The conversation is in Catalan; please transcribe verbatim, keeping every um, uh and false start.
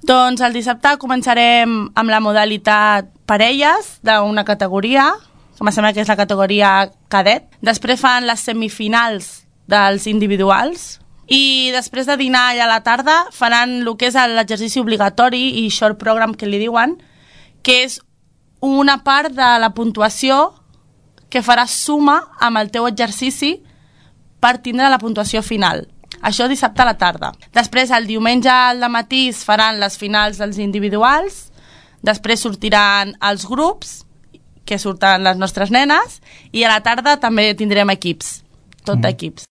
Doncs el dissabte començarem amb la modalitat parelles d'una categoria, que em sembla que és la categoria cadet. Després fan les semifinals dels individuals i després de dinar allà a la tarda faran el que és l'exercici obligatori i short program que li diuen, que és una part de la puntuació que faràs suma amb el teu exercici per tindre la puntuació final. Això dissabte a la tarda. Després, el diumenge al dematí es faran les finals dels individuals, després sortiran els grups, que surten les nostres nenes, i a la tarda també tindrem equips, tot d'equips.